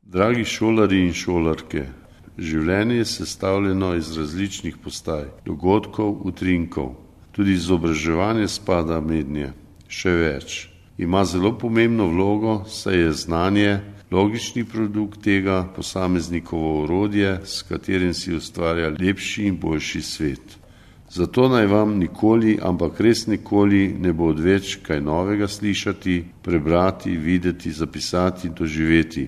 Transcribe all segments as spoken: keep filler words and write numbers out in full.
Dragi šolari in šolarke, življenje je sestavljeno iz različnih postaj, dogodkov, utrinkov. Tudi izobraževanje spada mednje. Še več, ima zelo pomembno vlogo, saj je znanje logični produkt tega posameznikovo orodje, s katerim si ustvarja lepši in boljši svet. Zato naj vam nikoli, ampak res nikoli ne bo odveč kaj novega slišati, prebrati, videti, zapisati, doživeti.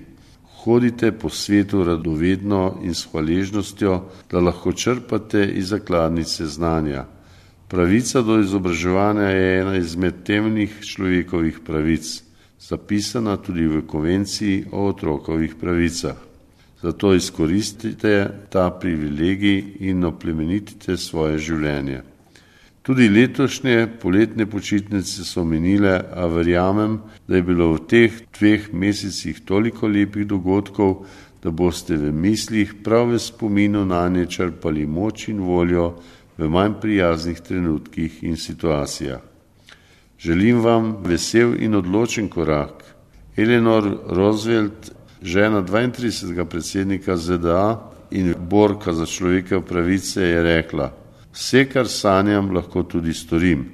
Hodite po svetu radovedno in s hvaležnostjo, da lahko črpate iz zakladnice znanja. Pravica do izobraževanja je ena izmed temeljnih človekovih pravic, zapisana tudi v konvenciji o otrokovih pravicah. Zato izkoristite ta privilegij in oplemenitite svoje življenje. Tudi letošnje poletne počitnice so minile, a verjamem, da je bilo v teh dveh mesecih toliko lepih dogodkov, da boste v mislih prav v spominu nanje črpali moč in voljo v manj prijaznih trenutkih in situacijah. Želim vam vesel in odločen korak. Eleanor Roosevelt, žena dvaintridesetega predsednika Z D A in borka za človekove pravice, je rekla: vse, kar sanjam, lahko tudi storim.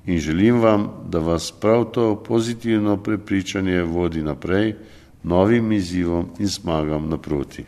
In želim vam, da vas prav to pozitivno prepričanje vodi naprej, novim izzivom in zmagam naproti.